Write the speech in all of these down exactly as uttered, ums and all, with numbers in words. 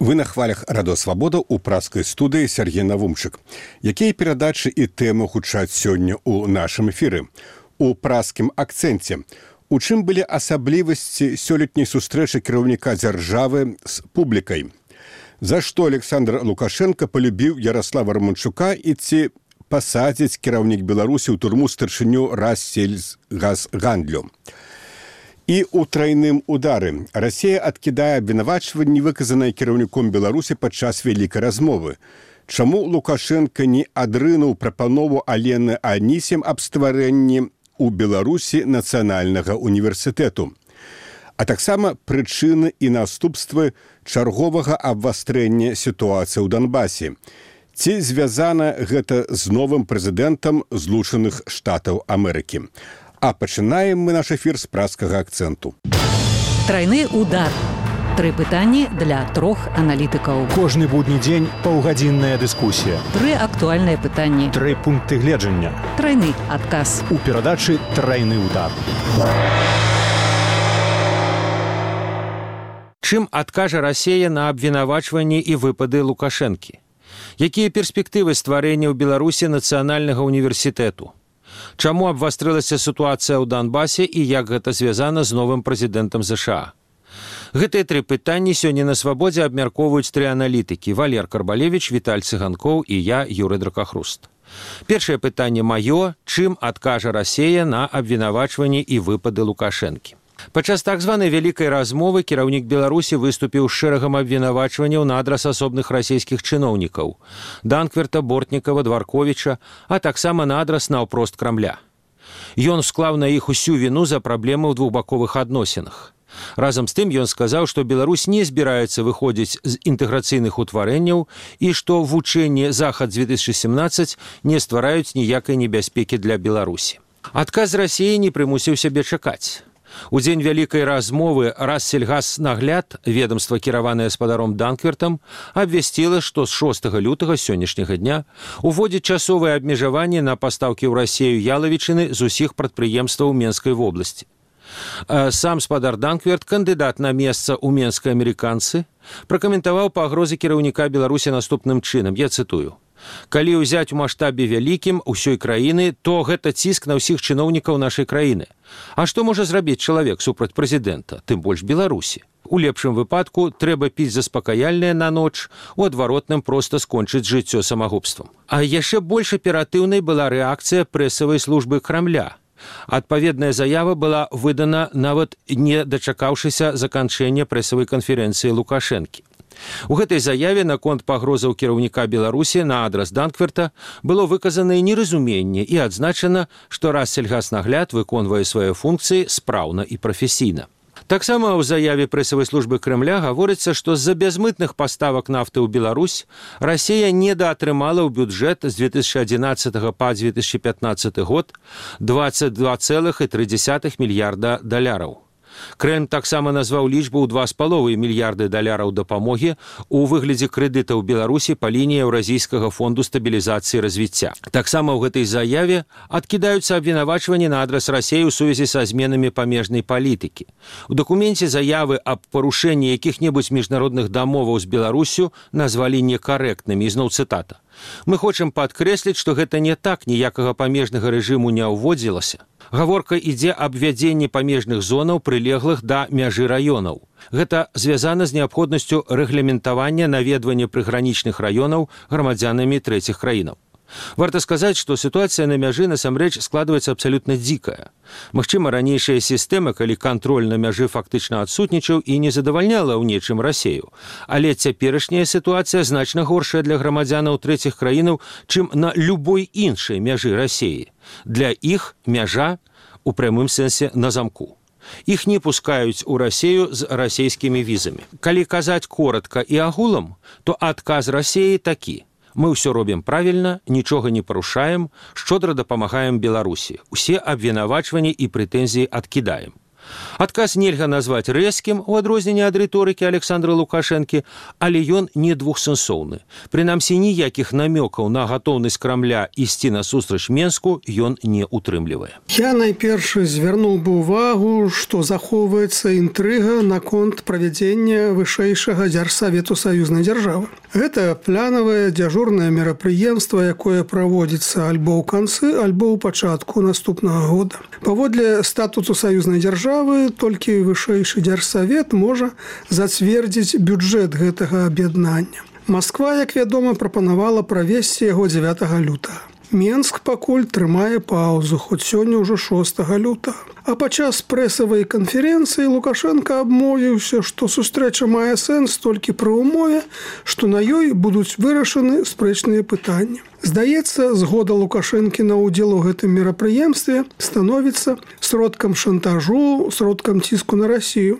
Вы на хвалях Радо Свабода ў праскай студыі Сергей Навумчык. Якія перадачы і тэмы гучаць сёння ў нашым эфіры? У праскім акцэнце. У чым былі асаблівасці сёлетняй сустрэчы кіраўніка дзяржавы з публікай? За што Александр Лукашенко полюбіў Ярослава Романчука і ці пасадзіць кіраўнік Беларусі ў турму старшыню Рассельгазгандлю? І ў трайным удары. Расія адкідае абвінавачванні, выказаныя кіраўніком Беларусі падчас вялікай размовы. Чаму Лукашенко не адрынуў прапанову Алены Анісім аб стварэнні ў Беларусі нацыянальнага універсітэту? А таксама прычыны і наступствы чарговага абвастрэння сітуацыі ў Донбасе. Ці звязана гэта з новым прэзідэнтам Злучаных Штатаў Амерыкі? А пачынаем мы наш эфір з праскага акцэнту. Трайны удар. Тры пытанні для трох аналітыкаў. Кожны будні дзень паўгадзінная дыскусія. Тры актуальныя пытанні. Тры пункты гледжання. Трайны адказ. У перадачы «Трайны удар». Чым адкажа Расія на абвінавачванні і выпады Лукашэнкі? Якія перспектывы стварэння ў Беларусі нацыянальнага універсітэту? Чаму абвастрылася сітуацыя ў Донбасе і як гэта звязана з новым прэзідэнтам ЗША? Гэтыя тры пытанні сёння на Свабодзе абмяркоўваюць тры аналітыкі: Валер Карбалевіч, Віталь Цыганкоў і я, Юрый Дракахруст. Першае пытанне маё: чым адкажа Расія на абвінавачванні і выпады Лукашэнкі? Падчас так званай вялікай размовы кіраўнік Беларусі выступіў з шэрагам абвінавачванняў на адрас асобных расійскіх чыноўнікаў – Данкверта, Бортнікава, Дварковіча, а таксама на адрас наўпрост Крамля. Ён склаў на іх усю віну за праблемы ў двухбаковых адносінах. Разам з тым ён сказаў, што Беларусь не збіраецца выходзіць з інтэграцыйных утварэнняў і што вучэнні «Захад две тысячи семнадцать» не ствараюць ніякай небяспекі для Беларусі. Адказ Расіі не прымусіў сябе чакаць. У дзень вялікай размовы Рассельгазнагляд, ведомства, кіраванае спадаром Данквертам, абвясціла, што з шостага лютага сённяшняга дня уводзіць часовыя абмежаванні на пастаўкі ў Расію ялавічыны з усіх прадпрыемстваў Менскай вобласці. Сам спадар Данкверт, кандыдат на месца ў Менскай амерыканцы, пракаментаваў пагрозы кіраўніка Беларусі наступным чынам, я цытую: «Калі ўзяць у маштабе вялікім усёй краіны, то гэта ціск на ўсіх чыноўнікаў нашай краіны. А што можа зрабіць чалавек супраць прэзідэнта, тым больш Беларусі? У лепшым выпадку трэба піць заспакаяльнае на ноч, у адваротным проста скончыць жыццё самагубствам». А яшчэ больш аператыўнай была рэакцыя прэсавай службы Крамля. Адпаведная заява была выдана нават не дачакаўшыся заканчэння прэсавай канферэнцыі Лукашэнкі. У гэтай заяве наконт пагрозаў кіраўніка Беларусі на адрас Данкверта было выказанае неразуменне і адзначана, што Рассельгазнагляд выконвае свае функцыі спраўна і прафесійна. Таксама ў заяве прэсавай службы Крэмля гаворыцца, што з-за бязмытных паставак нафты ў Беларусь Расія недаатрымала ў бюджэт з две тысячи адзінаццатага па две тысячи пятнаццаты год двадцать два целых три десятых мільярда даляраў. Крэмль таксама назваў лічбу ў два з паловай мільярды даляраў дапамогі ў выглядзе крэдытаў Беларусі па лініі Еўразійскага фонду стабілізацыі і развіцця. Таксама ў гэтай заяве адкідаюцца абвінавачванні на адрас Расіі ў сувязі са зменамі памежнай палітыкі. У дакуменце заявы аб парушэнні якіх-небудзь міжнародных дамоваў з Беларусю назвалі некарэктнымі, ізноў цытата. «Мы хочам падкрэсліць, што гэта не так, ніякага памежнага рэжыму не ўводзілася. Гаворка ідзе аб ввядзенні памежных зонаў, прылеглых да мяжы раёнаў. Гэта звязана з неабходнасцю рэгламентавання наведвання прыгранічных раёнаў грамадзянамі трэціх краінаў». Варта сказаць, што сітуацыя на мяжы насамрэч складваецца абсалютна дзікая. Магчыма, ранейшая сістэма, калі кантроль на мяжы фактычна адсутнічаў і не задавальняла ў нечым Расію. Але цяперашняя сітуацыя значна горшая для грамадзянаў трэціх краінаў, чым на любой іншай мяжы Расіі. Для іх мяжа у прамым сэнсе на замку. Іх не пускаюць у Расію з расійскімі візамі. Калі казаць коратка і агулам, то адказ Расіі такі: мы ўсё робім правільна, нічога не парушаем, шчодра дапамагаем Беларусі. Усе абвінавачванні і прэтэнзіі адкідаем. Адказ нельга назваць рэзкім у адрозненне ад рыторыкі Александра Лукашэнкі, але ён не двухсэнсоўны. Прынамсі, ніякіх намёкаў на гатоўнасць Крамля ісці насустрач Менску ён не утрымлівае. Я найперш звярнуў бы ўвагу, што захоўваецца інтрыга наконт правядзення вышэйшага дзяржсавету саюзнай дзяржавы. Гэта планавае дзяжурнае мерапрыемства, якое праводзіцца альбо ў канцы, альбо ў пачатку наступнага года. Паводле статуту саюзнай дзяржавы толькі вышэйшы дзяржсавет можа зацвердзіць бюджэт гэтага аб'яднання. Масква, як вядома, прапанавала правесці яго дзевятага лютага. Менск пакуль трымае паўзу, хоць сёння ўжо шостага лютага. А падчас прэсавай канферэнцыі Лукашенко абмовіўся, што сустрэча мае сэнс толькі пры ўмове, што на ёй будуць вырашаны спрэчныя пытанні. Здаецца, згода Лукашэнкі на ўдзел у гэтым мерапрыемстве становіцца сродкам шантажу, сродкам ціску на Расію,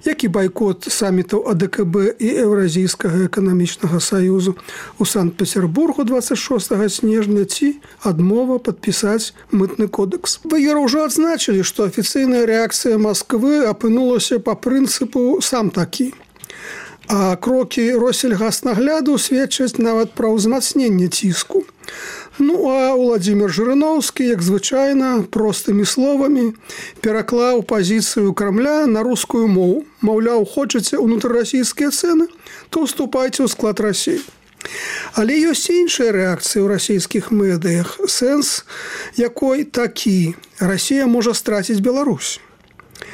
як і байкот самітаў А Дэ Ка Бэ і Еўразійскага эканамічнага саюзу у Санкт-Петербургу дваццаць шостага снежня ці адмова падпісаць мытны кодекс. Вы ўжо адзначылі, што афіцыйная рэакцыя Масквы апынулася па прынцыпу «сам такі». А крокі Россельгаснагляду сведчаць нават пра ўзмацненне ціску. Ну, а Уладзімір Жырыноўскі, як звычайна, простымі словамі пераклаў пазіцыю Крамля на рускую мову. Маўляў, хочаце ўнутрырасійскія цэны, то ўступайце ў склад Расіі. Але ёсць іншая рэакцыя ў расійскіх медыях, сэнс якой такі: Расія можа страціць Беларусь.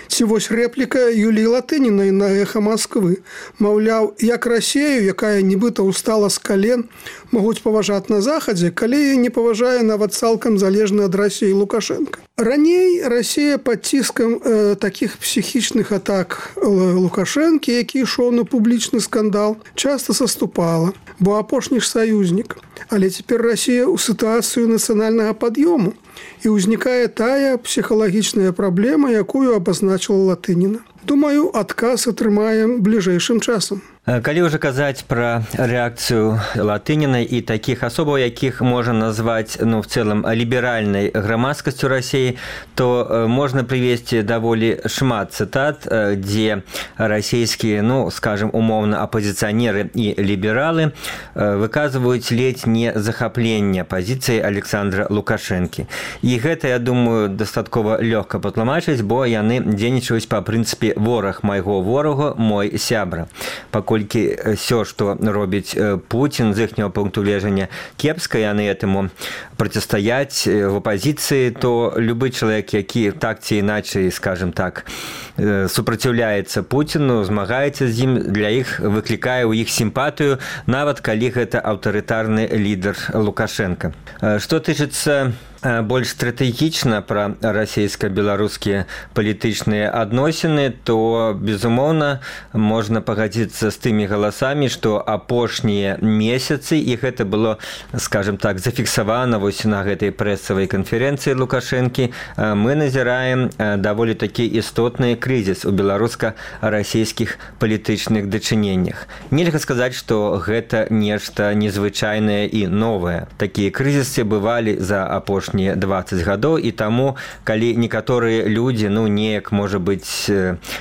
Ці вось рэпліка Юліі Латынінай на Эха Масквы. Маўляў, як Расію, якая нібыта ўстала з кален, могуць паважаць на Захадзе, калі яе не паважае нават цалкам залежны ад Расіі Лукашенко. Раней Расія пад ціскам э, такіх псіхічных атак Лукашэнкі, які ішоў на публічны скандал, часта саступала, бо апошні ж саюзнік. Але цяпер Расія ў сітуацыю нацыянальнага пад'ёму, і ўзнікае тая псіхалагічная праблема, якую абазначыла Латыніна. Думаю, адказ атрымаем бліжэйшым часам. Калі ўжо казаць пра рэакцыю Латынінай і такіх асобаў, якіх можна назваць, ну, в цэлым ліберальнай грамадскасцю Расіі, то можна прывесці даволі шмат цытат, дзе расійскія, ну, скажем, умоўна апозіцыянеры і лібералы выказваюць ледзь не захапленне пазіцыі Александра Лукашэнкі. І гэта, я думаю, дастаткова лёгка патлумачыць, бо яны дзейнічаюць па прынцыпе «вораг майго ворага, мой сябра». Паколькі ўсё, што робіць Пуцін з іхняго пункту гледжання кепска, яны этому процістаяць в апозіцыі, то любы чалавек, які так ці іначай, скажем так, супраціўляецца Пуціну, змагаецца з ім, для іх выклікае ў іх сімпатыю, нават калі гэта аўтарытарны лідар Лукашенко. Што тычыцца больш стратэгічна пра расійска-беларускія палітычныя адносіны, то, безумоўна, можна пагадзіцца з тымі галасамі, што апошнія месяцы, і гэта было, скажем так, зафіксавана вось на гэтай прэсавай канферэнцыі Лукашэнкі, мы назіраем даволі такі істотны крызіс у беларуска-расійскіх палітычных дачыненнях. Нельга сказаць, што гэта нешта незвычайнае і новае. Такія крызісы бывалі за апошнія дваццаць гадоў, і таму, калі некаторыя людзі, ну, неяк, можа быць,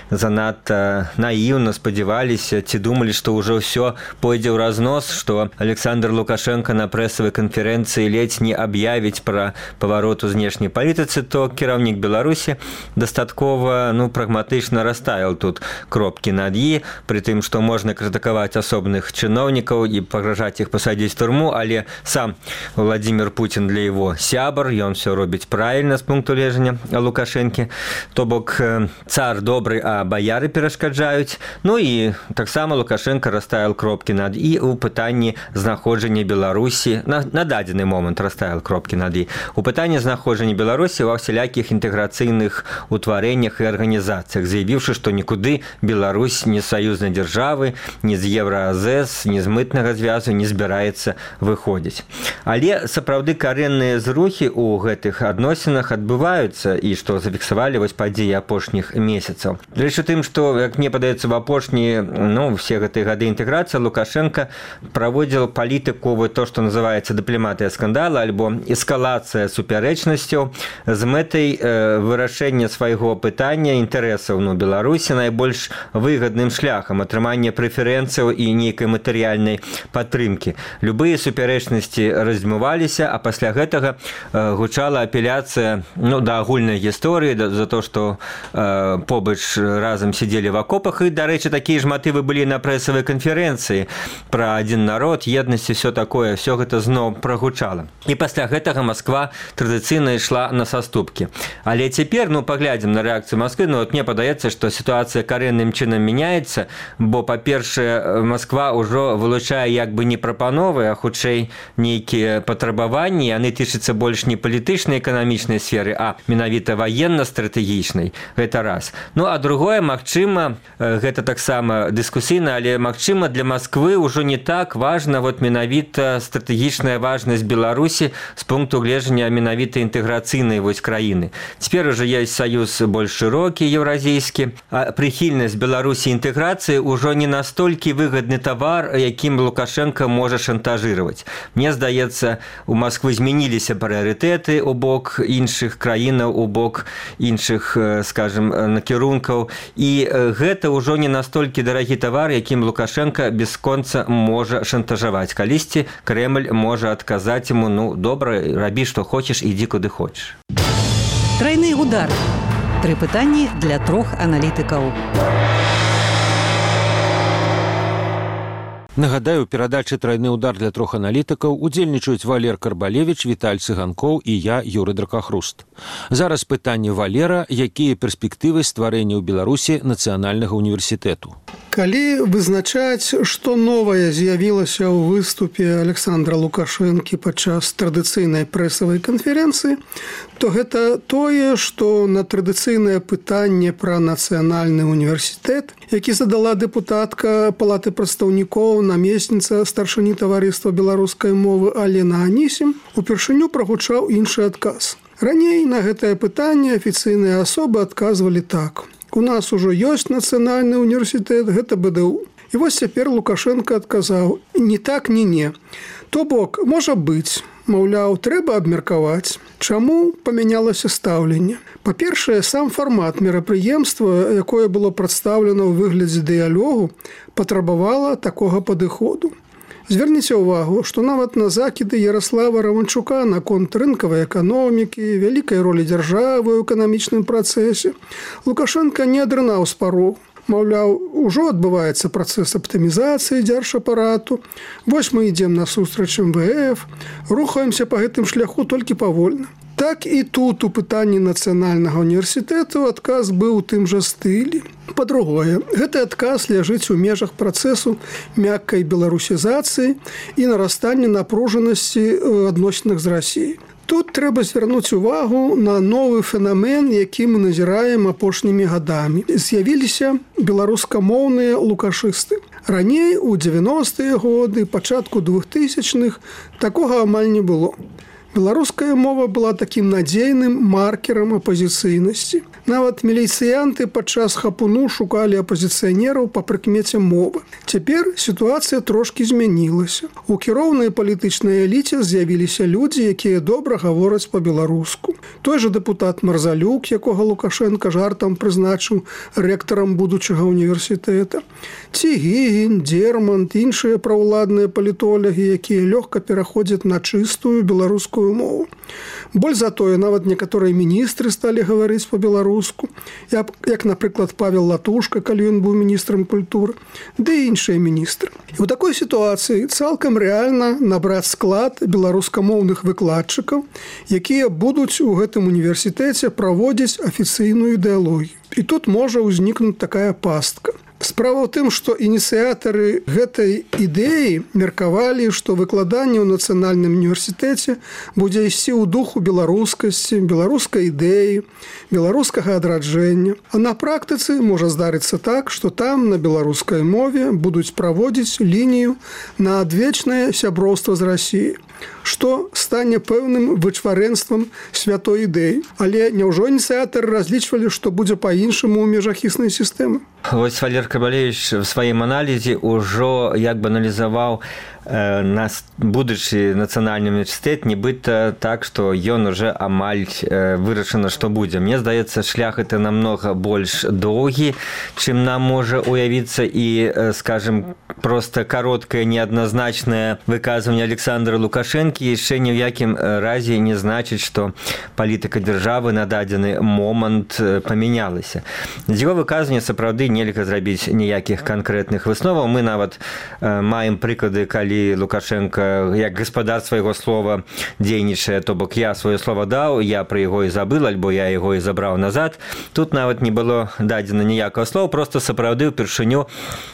занадта наіўна спадзяваліся ці думалі, што ўжо ўсё пойдзе ў разнос, што Александр Лукашенко на прэсавай канферэнцыі ледзь не аб'явіць пра паварот у знешняй палітыцы, то кіраўнік Беларусі дастаткова, ну, прагматычна расставіў тут кропкі над «і», пры тым, што можна крытыкаваць асобных чыноўнікаў і пагражаць іх пасадзіць у турму, але сам Владзімір Пуцін для яго сябар, ён все робіць правільна з пункту гледжання Лукашэнкі, то бок цар добры, а баяры перашкаджаюць. Ну і таксама Лукашенко расставіў кропкі над «і» у пытанні знаходжання Беларусі, на, на дадзены момант расставіў кропкі над «і», у пытанні знаходжання Беларусі ва ўсялякіх інтэграцыйных утварэннях і арганізацыях, заявіўшы, што нікуды Беларусь ні з саюзнай дзяржавы, ні з Еўразэс, ні з мытнага звязу не збіраецца выходзіць. Але сапраўды карэнныя зрухі у гэтых адносінах адбываюцца, і што зафіксавалі вось падзеі апошніх месяцаў. Рэч у тым, што, як мне падаецца, в апошнія, ну, все гэтыя гады інтэграцыі Лукашенко праводзіў палітыку, вот то, што называецца дыпламатыя скандала альбо эскалацыя супярэчнасцяў з мэтай э, вырашэння свайго пытання, інтарэсу інтарэсаў ну, Беларусі найбольш выгадным шляхам атрымання прэферэнцыяў і нейкай матэрыяльнай падтрымкі. Любыя супярэчнасці раздзьмуваліся, а пасля гэтага э, гучала апеляцыя ну, да агульнай гісторыі, да, за то, што э, побач разам сидзелі в акопах, і, дарэчы, такія ж матывы былі на прэсавай канферэнцыі пра адзін народ, еднасць і все такое, все гэта зноў прагучала. І пасля гэтага Масква традыцыйна ішла на саступкі. Але цяпер, ну, паглядзім на рэакцыю Масквы, ну, вот мне падаецца, што сітуацыя карэнным чынам мяняецца, бо, па-першае, Масква ўжо вылучае як бы не прапановы, а хутчэй нейкія патрабаванні, яны тычацца больш не палітычнай эканамічнай сферы, а менавіта ваенна-стратэгічнай. Гэта раз. Ну, а другое, магчыма, гэта таксама дыскусійна, але, магчыма, для Масквы ўжо не так важна вот менавіта стратэгічная важнасць Беларусі з пункту гледжання менавіта інтэграцыйнай вось краіны. Цяпер уже ёсць саюз больш шырокі, еўразійскі, а прыхільнасць Беларусі інтэграцыі ўжо не настолькі выгадны тавар, якім Лукашенко можа шантажировать. Мне здаецца, у Масквы змяніліся прыярытэты у бок іншых краінаў, у бок іншых, скажем, накірункаў, і гэта ўжо не настолькі дарагі тавар, якім Лукашенко бясконца можа шантажаваць. Калісьці Кремль можа адказаць яму, ну, добра, рабі, што хочаш, ідзі куды хочаш. Трайны удар. Тры пытанні для трох аналітыкаў. Нагадаю, у перадачы «Трайны удар» для трох аналітыкаў удзельнічаюць Валер Карбалевіч, Віталь Цыганкоў і я, Юры Дракахруст. Зараз пытанне Валера, якія перспектывы стварэння ў Беларусі нацыянальнага універсітэту. Калі вызначаць, што новае з'явілася ў выступе Александра Лукашэнкі падчас традыцыйнай прэсавай канферэнцыі, то гэта тое, што на традыцыйнае пытанне пра нацыянальны універсітэт, які задала дэпутатка Палаты прадстаўнікоў, намесніца старшыні таварыства беларускай мовы Алена Анісім, упершыню прагучаў іншы адказ. Раней на гэтае пытанне афіцыйныя асобы адказвалі так: у нас ужо ёсць нацыянальны універсітэт, гэта бэ дэ у. І вось цяпер Лукашенко адказаў: не так, ні не. То бок, можа быць, маўляў, трэба абмеркаваць. Чаму памянялася стаўленне? Па-першае, сам фармат мерапрыемства, якое было прадстаўлена ў выглядзе дыялогу, патрабавала такога падыходу. Зверніце ўвагу, што нават на закіды Ярослава Раванчука наконт рынкавай эканомікі, вялікай ролі дзяржавы ў эканамічным працэсе Лукашенко не адрынаў з парог. Маўляў, ужо адбываецца працэс аптымізацыі дзяржапарату, вось мы ідзем насустрач эм вэ эф, рухаемся па гэтым шляху толькі павольна. Так і тут у пытанні нацыянальнага універсітэту адказ быў у тым жа стылі. Па-другое, гэты адказ ляжыць у межах працэсу мяккай беларусізацыі і нарастання напружанасці адносінах з Расіяй. Тут трэба звярнуць увагу на новы фенамен, які мы назіраем апошнімі гадамі. З'явіліся беларускамоўныя лукашысты. Раней, у дзевяностыя годы, пачатку двухтысячных, такога амаль не было. Беларуская мова была такім надзейным маркерам апазіцыйнасці. Нават міліцыянты падчас хапуну шукалі апазіцыянераў па прыкмеце мовы. Цяпер сітуацыя трошкі змянілася. У кіроўнай палітычнай эліце з'явіліся людзі, якія добра гавораць па-беларуску. Той жа дэпутат Марзалюк, якога Лукашенко жартам прызначыў рэктарам будучага універсітэта. Ці Гігін, Дермант, іншыя праўладныя палітолагі, якія лёгка пераходзяць на чыстую беларускую мову. Боль за тое, нават некаторыя міністры сталі гаварыць па-беларуску, як, як, напрыклад, Павел Латушка, калі ён быў міністрам культуры, ды іншыя міністры. І ў такой сітуацыі цалкам рэальна набраць склад беларускамоўных выкладчыкаў, якія будуць у гэтым універсітэце праводзіць афіцыйную ідэалогію. І тут можа ўзнікнуць такая пастка. Справа ў тым, што ініцыятары гэтай ідэі меркавалі, што выкладанне ў нацыянальным універсітэце будзе ісці ў духу беларускасці, беларускай ідэі, беларускага адраджэння. А на практыцы можа здарыцца так, што там на беларускай мове будуць праводзіць лінію на адвечнае сяброўства з Расіяй, што стане пэўным вычварэнствам святой ідэі. Але няўжо ініцыятары разлічвалі, што будзе па-іншаму ў межах існай сістэмы? Вось Валер Карбалевіч в сваім аналізе ўжо як бы аналізаваў нас будучы нацыянальны універсітэт, нібыта так, што ён уже амаль вырашана, што будзе. Мне здаецца, шлях это намного больш доўгі, чым нам можа уявіцца, і, скажем, просто кароткае неадназначнае выказванне Александра Лукашэнкі яшчэ ні ў якім разе не значыць, што палітыка дзяржавы на дадзены момант памянялася. З яго выказвання сапраўды нельга зрабіць ніякіх канкрэтных высноваў. Мы нават маем прыклады, калі Лукашенко як гаспадар свайго слова дзейнічае, то бок я сваё слова даў, я пра яго і забыл, альбо я яго і забраў назад. Тут нават не было дадзена ніякага слова, просто сапраўды ўпершыню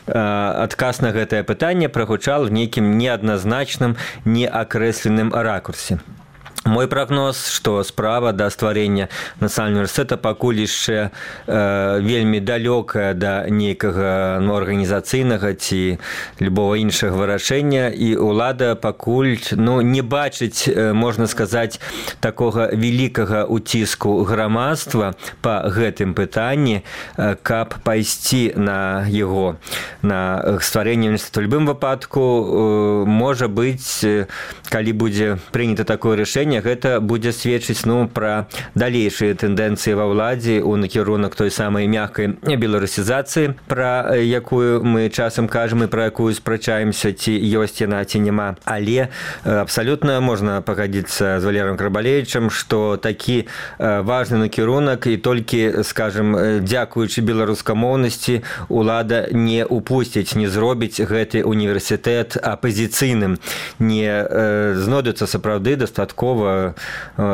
адказ на гэтае пытанне прагучал в нейкім неадназначным, неакрэсленым ракурсе. Мой прогноз, што справа да стварэння нацыянальнага універсітэта пакуль яшчэ э, вельмі далёкая да нейкага ну, арганізацыйнага ці любого іншага вырашэння, і ўлада пакуль ну, не бачыць, э, можна сказаць, такога вялікага ўціску грамадства па гэтым пытанні, э, каб пайсці на яго, на стварэнне універсітэта. У любым выпадку, э, можа быць, э, калі будзе прынята такое рашэнне, гэта будзе сведчыць ну, пра далейшыя тэндэнцыі ва ўладзе ў накірунак той самай мяккай беларусізацыі, пра якую мы часам кажам і пра якую спрачаемся, ці ёсць яна, ці няма. Але абсалютна можна пагадзіцца з Валерыем Карбалевічам, што такі важны накірунак і толькі, скажем, дзякуючы беларускамоўнасці улада не упусціць, не зробіць гэты універсітэт апазіцыйным. Не знойдуцца сапраўды дастаткова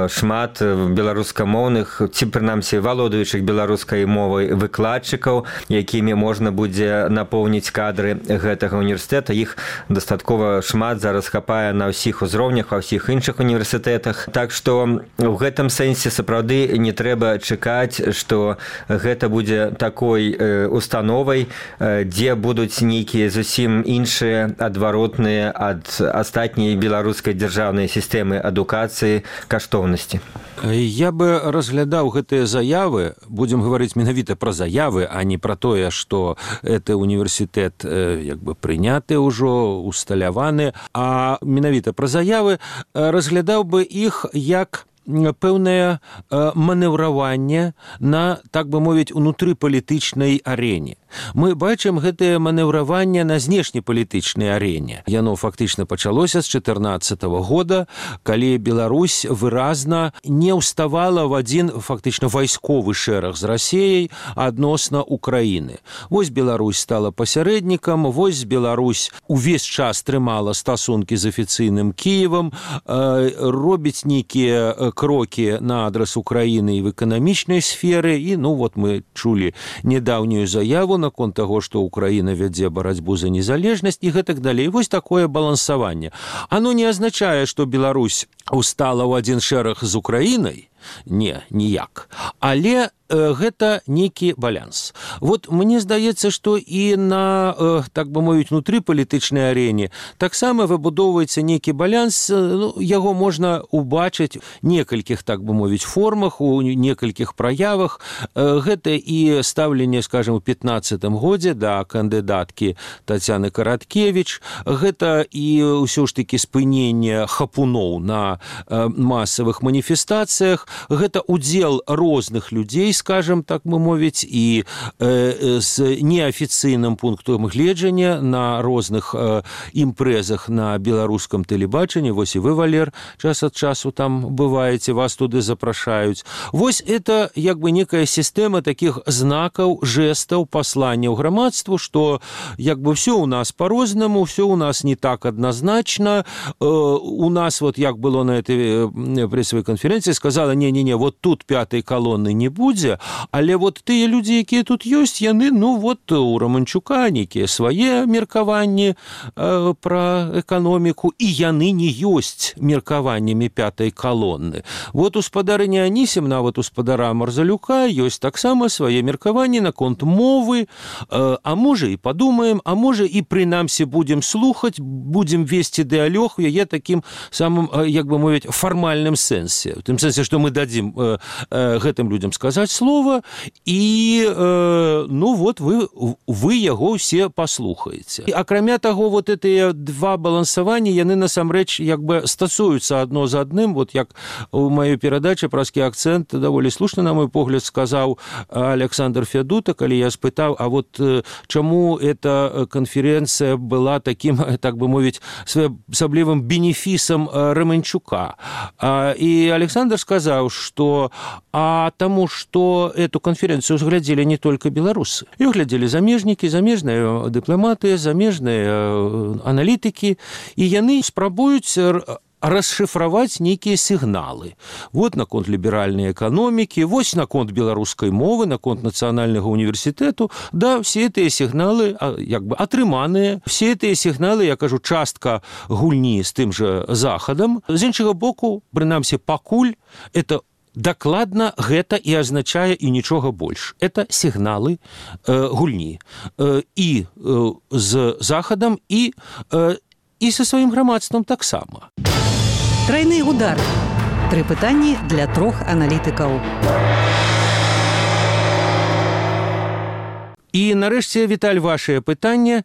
шмат беларускамоўных, ці прынамсі валодаючых беларускай мовай выкладчыкаў, якімі можна будзе напоўніць кадры гэтага універсітэта. Іх дастаткова шмат зараз хапае на ўсіх узроўнях, ва ўсіх іншых універсітэтах. Так што ў гэтым сэнсе сапраўды не трэба чакаць, што гэта будзе такой установай, дзе будуць нейкія зусім іншыя адваротныя ад астатняй беларускай дзяржаўнай сістэмы адукацыі каштоўнасці. Я бы разглядаў гэтыя заявы, будзем гаварыць менавіта пра заявы, а не пра тое, што гэты універсітэт як бы прыняты ўжо, усталяваны, а менавіта пра заявы разглядаў бы іх як пэўнае манеўраванне на, так бы мовіць, унутрыпалітычнай арэне. Мы бачым гэтае манеўраванне на знешнепалітычнай арэне. Яно фактычна пачалося з чатырнаццатага года, калі Беларусь выразна не ўставала в адзін фактычна вайсковы шэраг з Расіяй адносна Украіны. Вось Беларусь стала пасярэднікам, вось Беларусь увесь час трымала стасункі з афіцыйным Кіевам, робіць нейкія крокі на адрас Украіны і в эканамічнай сферы, і ну вот мы чулі недаўнюю заяву наконт таго, што Украіна вядзе барацьбу за незалежнасць і гэтак далей. Вось такое балансаванне. Оно не азначае, што Беларусь устала ў адзін шэраг з Украінай, не, ніяк. Але гэта нейкі баланс. Вот мне здаецца, што і на, так бы мовіць, унутрыпалітычнай арэне таксама выбудоўваецца нейкі баланс, ну, яго можна убачыць некалькіх, так бы мовіць, формах, у некалькіх праявах. Гэта і стаўленне, скажем, у пятнаццатым годзе да кандыдаткі Тацяны Караткевіч, гэта і ўсё ж такі спыненне хапуноў на масавых маніфестацыях, гэта удзел розных людзей, скажем, так мы мовіць, і э, з неафіцыйным пунктам гледжання на розных э, імпрэзах на беларускам тэлебачанні. Вось і вы, Валер, час ад часу там бываеце, вас туды запрашаюць. Вось это як бы некая сістэма такіх знакаў, жэстаў, пасланняў грамадству, што як бы все у нас по-рознаму, все у нас не так адназначна. Э, у нас вот як было на этой прэсавай канферэнцыі, сказала, не-не-не, вот тут пятай калоны не будзе, але вот тыя людзі, якія тут ёсць, яны, ну вот у Романчука нейкія свае меркаванні э, пра эканоміку, і яны не ёсць меркаваннямі пятай калоны. Вот у спадарыні Анісім, нават у спадара Марзалюка ёсць таксама свае меркаванні наконт мовы, э, а можа і падумаем, а можа і прынамсі будзем слухаць, будзем весці дыалог у яе такім самым, як бы мовіць, фармальным сэнсе. У тым сэнсе, што мы дадзім э, э, гэтым людзям сказаць слова, і э, ну вот вы, вы яго ўсе паслухаеце. Акрамя таго, вот гэтыя два балансаванні, яны насамрэч як бы стасуюцца адно з адным. Вот як у маёй перадачы «Праскі акцэнт» даволі слушна, на мой погляд, сказаў Александр Фядута, калі я спытаў, а вот чаму эта канферэнцыя была таким, так бы мовіць, своеасаблівым бенефісам Романчука. И Александр сказал, что а тому, что эту конференцию взглядели не только белорусы. Ее глядели замежники, замежные дипломаты, замежные аналитики, и яны спрабуюць расшифровать некие сигналы. Вот наконт либеральной экономики, вот наконт белорусской мовы, наконт национального университету. Да, все эти сигналы как бы атрыманыя. Все эти сигналы, я кажу, частка гульні с тым же Захадом. З іншага боку, прынамсі, пакуль это дакладна гэта і азначае і нічога больш. Это сігналы э, гульні. Э, і э, з Захадам, і, э, і са сваім грамадствам таксама. Трайны удар. Тры пытанні для трох аналітыкаў. І нарэшце, Віталь, вашае пытанне,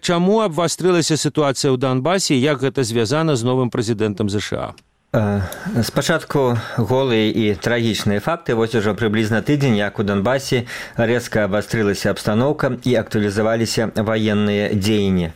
чаму абвастрылася сітуацыя ў Донбасе, як гэта звязана з новым прэзідэнтам ЗША? Спачатку голыя і трагічныя факты. Вось ужо прыблізна тыдзень, як у Донбасе рэзка абвастрылася абстаноўка і актуалізаваліся ваенныя дзеянні.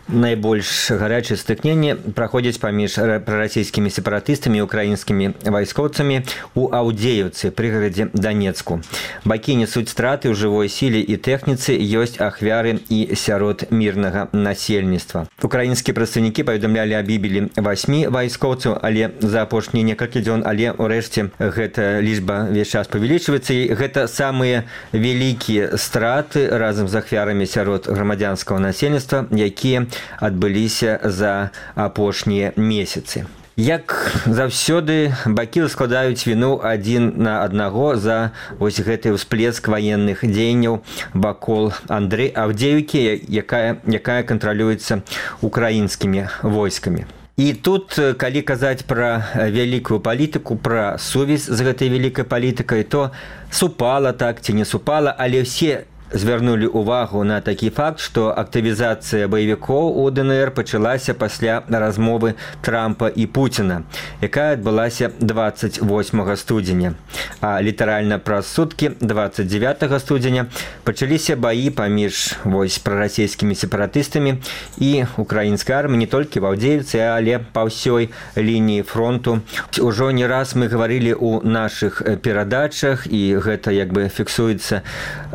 Найбольш гарячыя стыкненні праходзяць паміж прарасійскімі сепаратыстамі і украінскімі вайскоўцамі у Аўдзееўцы, прыгарадзе Данецку. Бакі несуць страты ў жывой сіле і тэхніцы, ёсць ахвяры і сярод мірнага насельніцтва. Украінскія прадстаўнікі паведамлялі аб гібелі васьмі вайскоўцаў, але за апошнія некалькі дзён, але ўрэшце гэта лічба весь час павялічваецца, і гэта самыя вялікія страты разам з ахвярамі сярод грамадзянскага насельніцтва, якія адбыліся за апошнія месяцы. Як заўсёды, бакі складаюць віну адзін на аднаго за вось гэты ўсплеск ваенных дзеянняў вакол Андрэй Аўдзеўкі, якая, якая кантралюецца украінскімі войскамі. І тут, калі казаць пра вялікую палітыку, пра сувязь з гэтай вялікай палітыкай, то супала так ці не супала, але ўсе звярнулі увагу на такі факт, што актывізацыя баевікоў у ДНР пачалася пасля размовы Трампа і Пуціна, якая адбылася дваццаць восьмага студзеня. А літаральна праз суткі, дваццаць дзевятага студзеня, пачаліся баі паміж вось прарасійскімі сепаратыстамі і украінскай арміі не толькі в Аўдзеевцы, але па ўсёй лініі фронту. Ужо не раз мы гаварылі ў нашых перадачах, і гэта як бы фіксуецца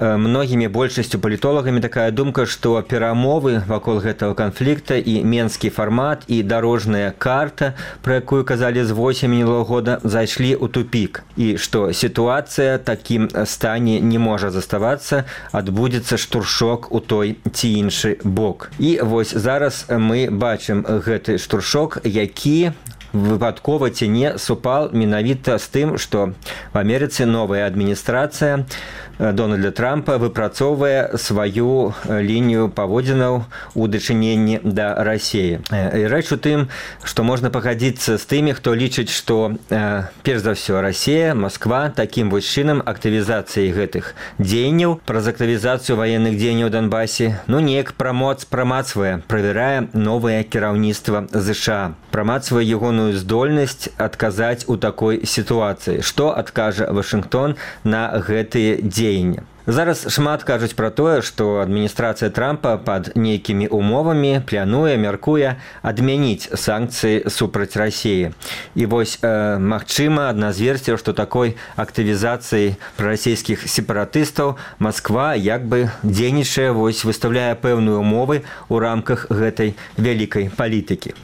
многімі большасцю палітолагамі такая думка, што перамовы вакол гэтага канфлікта і менскі фармат і дарожная карта, пра якую казалі з восені мінулага года, зайшлі ў тупік, і што сітуацыя такім стане не можа заставацца, адбудзецца штуршок у той ці іншы бок. І вось зараз мы бачым гэты штуршок, які выпадкова ці не супал менавіта з тым, што в Амерыцы новая адміністрацыя Дональда Трампа выпрацоўвае сваю лінію паводзінаў у дачыненні да Расіі. І рэч у тым, што можна пагадзіцца з тымі, хто лічыць, што перш за ўсё Расія, Москва такім вось чынам актывізацыяй гэтых дзеянняў, праз актывізацыю ваенных дзеянняў у Донбасе, ну неяк прамоц прамацвае, правярае новае кіраўніцтва ЗША, прамацвае ягоную здольнасць адказаць у такой сітуацыі. Што адкажа Вашынгтон на гэтыя дзеянні? Зараз шмат кажуць пра тое, што адміністрацыя Трампа пад нейкімі умовамі плануе, мяркуе адмяніць санкцыі супраць Расіі. І вось, э, магчыма, адна з версій, што такой актывізацыяй прарасійскіх сепаратыстаў Москва як бы дзейнічае, вось выстаўляе пэўныя умовы ў рамках гэтай вялікай палітыкі.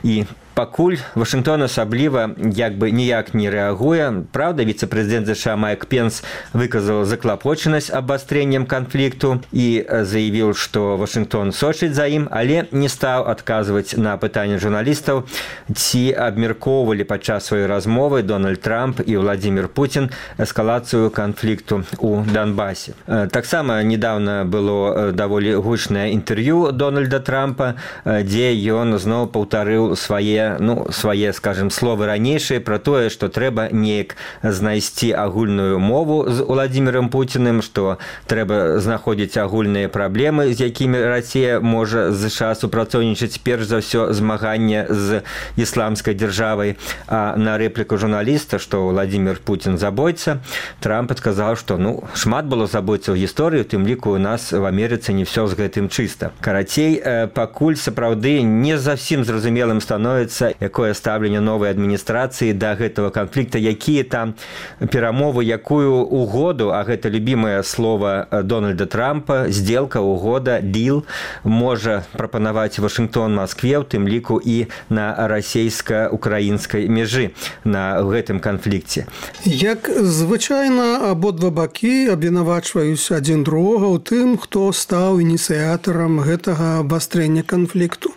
І пакуль Вашынгтон асабліва як бы ніяк не рэагуе. Правда, віцэ-прэзідэнт ЗША Майк Пенс выказаў заклапочанасць абвастрэннем канфлікту і заявіў, што Вашынгтон сочыць за ім, але не стаў адказваць на пытанні журналістаў, ці абмяркоўвалі падчас сваёй размовы Дональд Трамп і Владзімір Пуцін эскалацыю канфлікту ў Донбасе. Таксама недавно было даволі гучнае інтэрв'ю Дональда Трампа, дзе ён зноў паўтарыў свае мае ну свае скажем словы ранейшыя про тое што трэба неяк знайсці агульную мову з Владимиром Путиным, што трэба знаходзіць агульныя праблемы, з якімі Расія можа ЗША супрацоўнічаць, перш за ўсё змаганне з ісламскай дзяржавай. А на рэпліку журналіста, што Владимир Путин забойца, Трамп адказаў, што ну шмат было забойцаў у гісторыі, у тым ліку у нас в Амерыцы не ўсё з гэтым чыста. Карацей, пакуль сапраўды не зусім зразумелым становіцца, якое стаўленне новай адміністрацыі да гэтага канфлікта, якія там перамовы, якую угоду, а гэта любімае слово Дональда Трампа, сделка, угода, дил, можа прапанаваць Вашингтон Москве, у тым ліку і на расійска-украінскай межы на гэтым канфлікце. Як звычайна, абодва бакі абвінавачваюць адзін другога ў тым, хто стаў ініцыятарам гэтага абвастрэння канфлікту.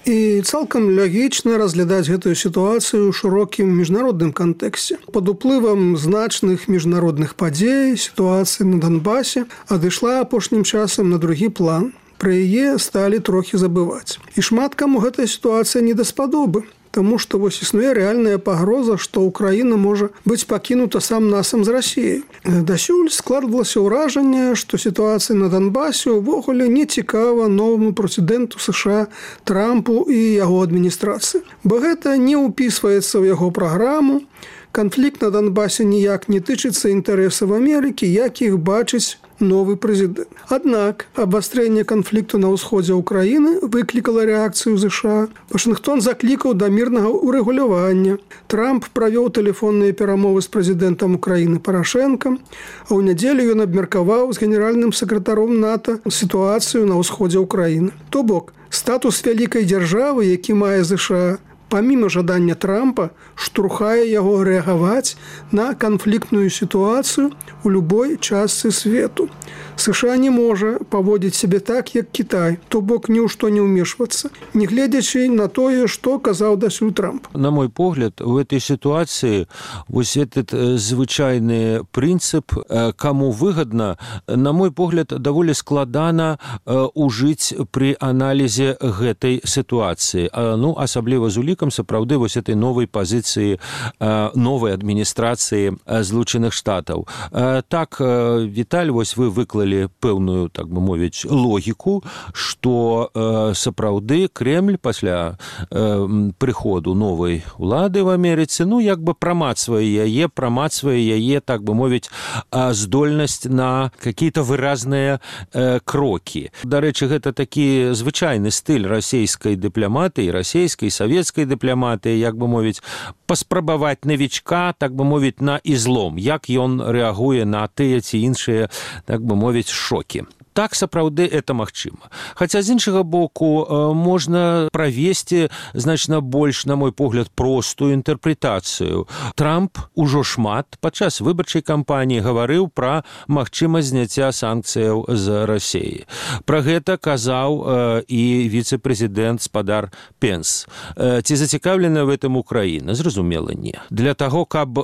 І цалкам лагічна разглядаць гэтую сітуацыю ў шырокім міжнародным кантэксце. Пад уплывам значных міжнародных падзей сітуацыя на Донбасе адышла апошнім часам на другі план. Пра яе сталі трохі забываць. І шмат каму гэтая сітуацыя не даспадобы. Таму што вось існуе рэальная пагроза, што Украіна можа быць пакінута сам-насам з Расіяй. Дасюль складвалася ўражанне, што сітуацыя на Донбасе ўвогуле не цікава новаму прэзідэнту США Трампу і яго адміністрацыі. Бо гэта не ўпісваецца ў яго праграму. Канфлікт на Донбасе ніяк не тычыцца інтарэсаў Амерыкі, як іх бачыць новы прэзідэнт. Аднак абвастрэнне канфлікту на ўсходзе Украіны выклікала рэакцыю ЗША. Вашингтон заклікаў да мірнага ўрэгулявання. Трамп правёў тэлефонныя перамовы з прэзідэнтам Украіны Парашэнкам, а ў нядзелю ён абмеркаваў з генеральным сакратаром НАТО сітуацыю на ўсходзе Украіны. То бок, статус вялікай дзяржавы, які мае ЗША, паміма жадання Трампа, штурхае яго рэагаваць на канфліктную сітуацыю ў любой частцы свету. США не можа паводзіць сябе так, як Кітай, то бок ні ў што не ўмешвацца, не гледзячы на тое, што казаў дасюль Трамп. На мой погляд, в этой ситуации вот этот звычайный принцип, кому выгодно, на мой погляд, довольно складана ужить при анализе гэтай ситуации. Ну, особливо з улікам сапраўды вот этой новой позиции новой администрации Злученых Штатов. Так, Віталь, вот вы выклали пэўную, так бы мовіць, логіку, што э, сапраўды Кремль пасля э, прыходу новай улады в Амерыцы, ну, як бы прамацвае яе, прамацвае яе, так бы мовіць, э, здольнасць на какие-то выразныя э, крокі. Дарэчы, гэта такі звычайны стыль расійскай дыпламатыі, расійскай, савецкай дыпламатыі, як бы мовіць, паспрабаваць навічка, так бы мовіць, на ізлом, як ён рэагуе на тыя ці іншыя, так бы мовіць, шокі. Так, сапраўды, это магчыма. Хаця, з іншага боку, можна правесці значна больш, на мой погляд, простую інтэрпрэтацыю. Трамп ужо шмат падчас выбарчай кампаніі гаварыў пра магчымасць зняцця санкцыяў з Расіі. Пра гэта казаў і віцэ-прэзідэнт спадар Пенс. Ці зацікаўлена в этом Украіна? Зразумела, не. Для таго, каб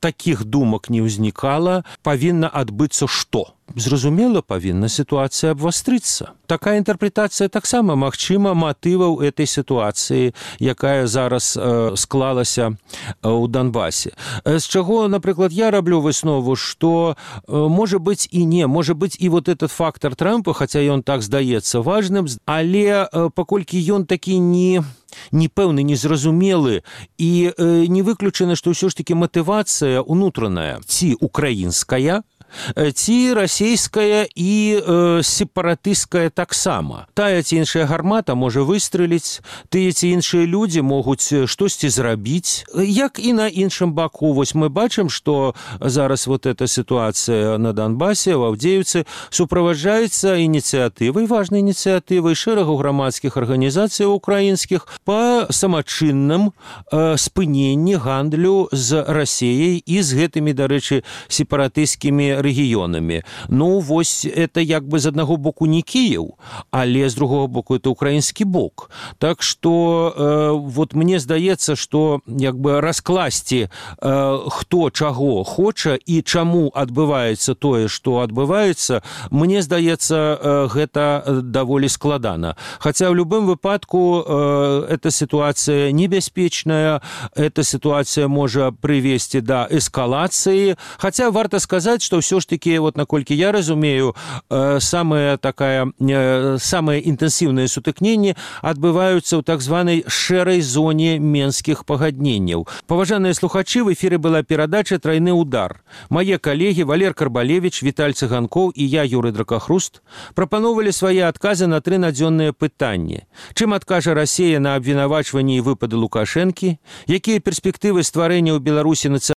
такіх думак не ўзнікала, павінна адбыцца што? Зразумела, павінна сітуацыя абвастрыцца. Такая інтэрпрэтацыя таксама магчыма матываў этой сітуацыі, якая зараз э, склалася ў Донбасе. З чаго, напрыклад, я раблю выснову, што э, можа быць і не, можа быць і вот этот фактор Трампа, хаця ён так здаецца важным, але э, паколькі ён такі не непэўны, незразумелы і э, не выключана, што ўсё ж такі матывацыя унутраная ці украінская, ці расійская і э, сепаратысцкая таксама. Тая ці іншая гармата можа выстрэліць, тыя ці іншыя людзі могуць штосьці зрабіць. Як і на іншым баку, вось мы бачым, што зараз вот эта сітуацыя на Донбасе, в Авдеевцы, суправаджаецца ініцыятывай, важнай ініцыятывай шэрагу грамадскіх арганізацый украінскіх па самачынным э, спыненні гандлю з Расіяй і з гэтымі, дарэчы, сепаратысцкімі пэўнымі рэгіёнамі. Ну вось это як бы з аднаго боку не Кіеў, але з другого боку это украінскі бок. Так што э, вот мне здаецца, што як бы раскласці э, хто чаго хоча і чаму адбываецца тое, што адбываецца, мне здаецца, э, гэта даволі складана. Хаця в любым выпадку э, эта ситуация небяспечная, эта ситуация можа прывесці да эскалацыі. Хаця варта сказаць, што ўсё ж таки, вот наколькі я разумею, э, самая такая, э, самыя інтэнсіўныя сутыкненні адбываюцца ў так званай шэрай зоне менскіх пагадненняў. Паважаныя слухачы, в эфіры была перадача «Трайны удар». Мае калегі Валер Карбалевич, Віталь Цыганкоў і я, Юрый Дракахруст, прапановалі свае адказы на тры надзённыя пытанні. Чым адкажа Расія на абвінавачванні і выпады Лукашэнкі? Якія перспектывы стварэння ў Беларусі нацыянальнай